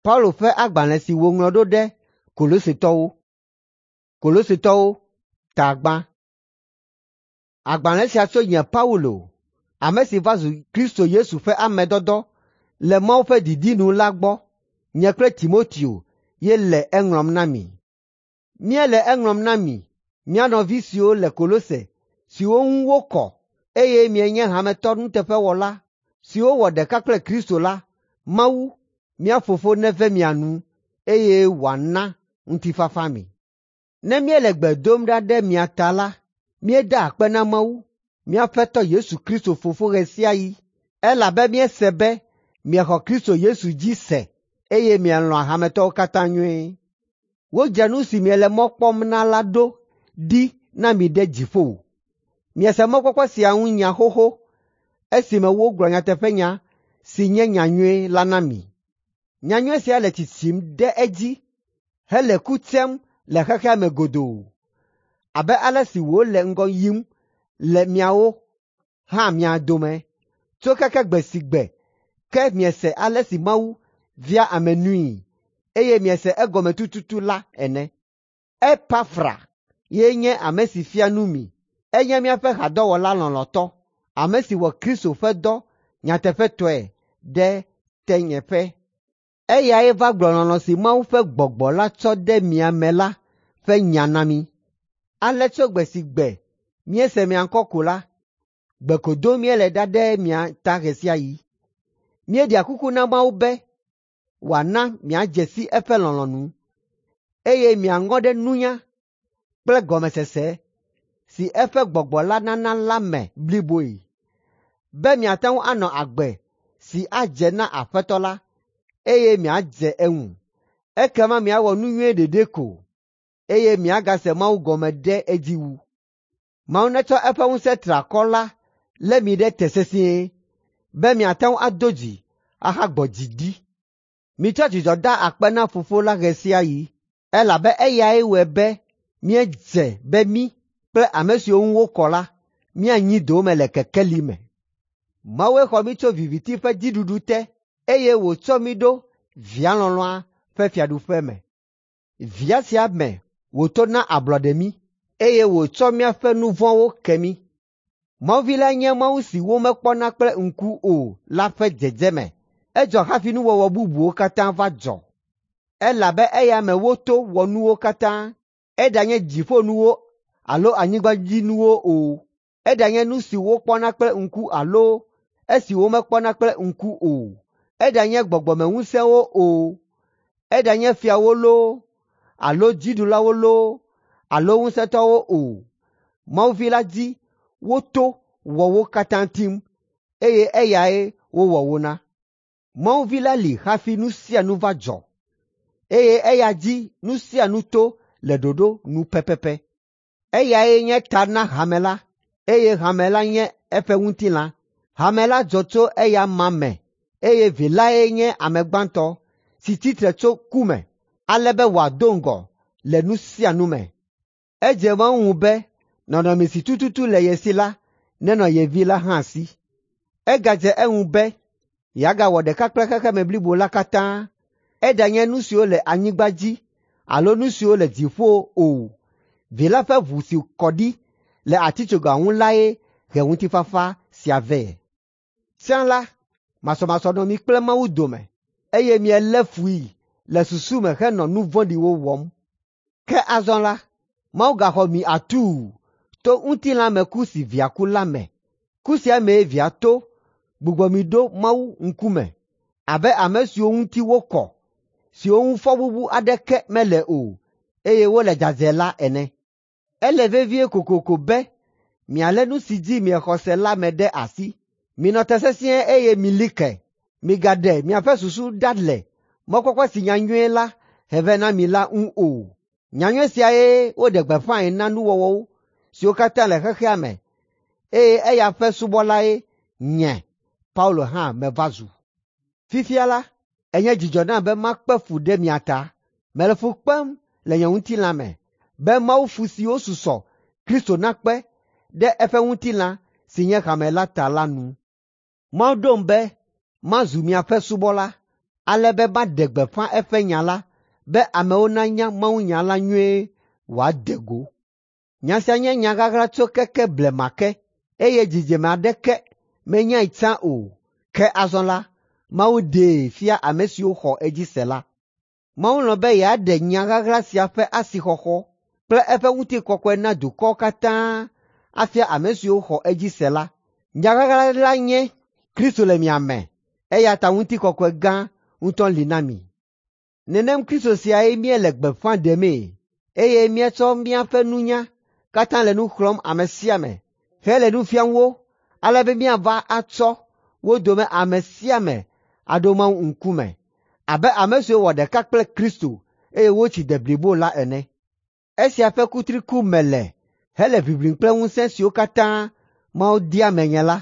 Paulo ƒe agbalẽ si wòŋlɔ ɖo ɖe Kolosetɔwo. Kolosetɔwo ta gbã. Agbalẽ sia tso nye Paulo, ame si va zu Kristo Yesu ƒe ame dɔdɔ le Mawu ƒe didi nu la gbɔ. Nye kple Timoteo ye le eŋlɔm na mi. Míele eŋlɔm na mi, mía nɔvi siwo le Kolose, siwo ŋu wokɔ, eye mienye hametɔ nuteƒewɔla siwo wɔ ɖeka kple Kristo la, Mawu, mía Fofo neve mia nu, eye wòana ŋutifafa mi. Ne míele gbe dom ɖa ɖe mia ta la, míedaa akpe na Mawu, mía Aƒetɔ Yesu Kristo Fofo ɣe sia ɣi, elabe míese be miexɔ Kristo Yesu dzi se, eye mielɔ̃a hametɔwo katã nyuie. Wodzra nu si miele mɔ kpɔm na la ɖo ɖi na mi ɖe dziƒo. Miese mɔkpɔkpɔ sia ŋu nya xoxo esime wogblɔ nyateƒenya si nye nyanyui la na mi. Nyanyui sia le tsitsim ɖe edzi hele ku tsem le xexea me godoo abe ale si wòle ŋgɔ yim le miawo hã mia dome tso keke gbe si gbe ke miese ale si Mawu via ame nui, eye miese egɔme tututu la ene. Epafra ye nye ame si fia nu mi. Enye míaƒe hadɔwɔla lɔlɔ̃tɔ, ame si wɔ Kristo ƒe dɔ nyateƒetɔe ɖe tenyeƒe. Eyae va gblɔ lɔlɔ̃ si Mawu ƒe Gbɔgbɔ la tsɔ de mia me la ƒe nya na mí. Ale tso gbe si gbe míese mia ŋkɔ ko la, gbe ko dom míele ɖa ɖe mia ta ɣe sia ɣi. Míeɖea kuku na Mawu be wòana miadze si eƒe lɔlɔ̃nu, eye miaŋɔ ɖe nunya kple gɔmesese si eƒe Gbɔgbɔ la nana la me bliboe, be miate ŋu anɔ agbe si adze na Aƒetɔ la, eye miadze eŋu. Ekema miawɔ nu nyui ɖeɖe ko, eye miagase Mawu gɔme ɖe edzi wu. Mawu netsɔ eƒe ŋusẽ triakɔ la lé mi ɖe te sesĩe, be miate ŋu ado dzi ahagbɔ dzi ɖi. Mitsɔ dzidzɔ da akpe na Fofo la ɣe sia ɣi, elabe eyae wɔe be míedze be mí kple ame siwo ŋu wokɔ la míanyi dowòme le kekeli me. Mawue xɔ mí tso viviti ƒe dziɖuɖu te, eye wòtsɔ mí ɖo Via lɔlɔ̃a ƒe fiaɖuƒe me. Via sia me wòto na ablɔɖe mí, eye wòtsɔ míaƒe nu vɔ̃wo ke mí. Mawu Vi la nye Mawu si womekpɔna kple ŋku o la ƒe dzedzeme. Edzɔ hafi nuwɔwɔ bubuwo katã va dzɔ, elabe eya me woto wɔ nuwo katã, eɖanye dziƒonuwo alo anyigbadzinuwo o, eɖanye nu si wokpɔna kple ŋku alo esi womekpɔna kple ŋku o, eɖanye gbɔgbɔmeŋusẽwo o, eɖanye fiawo loo alo dziɖulawo loo alo ŋusẽtɔwo o. Mawu Vi la dzi woto wɔ wo katã tim, eye eyae wowɔ wo na. Mawu Vi la li hafi nu sia nu va dzɔ, eye eya dzi nu sia nu to le ɖoɖo nu pɛpɛpɛ. Eyae nye ta na hame la, eye hame la nye eƒe ŋutilã. Hame la dzɔ tso eya ma me, eye Vi lae nye ame gbãtɔ si tsitre tso ku me, ale be wòado ŋgɔ le nu sia nu me. Edze Mawu ŋu be nɔnɔme si tututu le ye si la nenɔ ye Vi la hã si. Egadze eŋu be yeagawɔ ɖeka kple xexeme blibo la katã, eɖanye nu siwo le anyigba dzi alo nu siwo le dziƒo o. Vi la ƒe ʋu si kɔ ɖi le atitsoga ŋu lae he ŋutifafa sia vɛ. Tsã la, masɔmasɔ nɔ mi kple Mawu dome, eye mielé fui le susu me henɔ nu vɔ̃ɖiwo wɔm. Ke azɔ la, Mawu gaxɔ mi atuu to ŋutilãmeku si Via ku la me. Ku sia mee Via to gbugbɔ mi ɖo Mawu ŋkume abe ame siwo ŋuti wokɔ, siwo ŋu fɔbubu aɖeke mele o, eye wole dzadzɛ la ene. Ele vevie kokoko be mialé nu si dzi miexɔ se la me ɖe asi. Minɔ te sesĩe eye mili ke. Migaɖe miaƒe susu ɖa le mɔkpɔkpɔ si nyanyui la he vɛ na mi la ŋu o. Nyanyui siae woɖe gbeƒãe na nuwɔwɔwo siwo katã le xexea me, eye eya ƒe subɔlae nye Paulo hã meva zu. Fifia la, enye dzidzɔ nam be makpe fu ɖe mia ta. Mele fu kpem le nye ŋutilã me, be Mawu fu siwo susɔ Kristo nakpe ɖe eƒe ŋutilã si nye hame la ta la nu. Mawu ɖom be mazu miaƒe subɔla, ale be maɖe gbeƒã eƒe nya la be amewo nanya mawunya la nyuie wòade go. Nya sia nye nya ɣaɣla tso keke blema ke, eye dzidzime aɖeke menyae tsã o. Ke azɔ la, Mawu ɖee fia ame siwo xɔ edzi se la. Mawu lɔ̃ be yeaɖe nya ɣaɣla sia ƒe asixɔxɔ kple eƒe ŋutikɔkɔe na dukɔwo katã afia ame siwo xɔ edzi se la. Nya ɣaɣla la nye Kristo le mia me, eya ta ŋutikɔkɔe gã ŋutɔ li na mi. Nenem Kristo siae míele gbeƒã ɖemee, eye míetsɔ míaƒe nunya katã le nu xlɔ̃m ame sia ame hele nu fiam wo ale be míava atsɔ wo dome ame sia ame aɖo Mawu ŋkume abe ame siwo wɔ ɖeka kple Kristo eye wotsi de blibo la ene. Esia ƒe kutri kum mele hele ʋiʋlim kple ŋusẽ siwo katã Mawu dea menye la.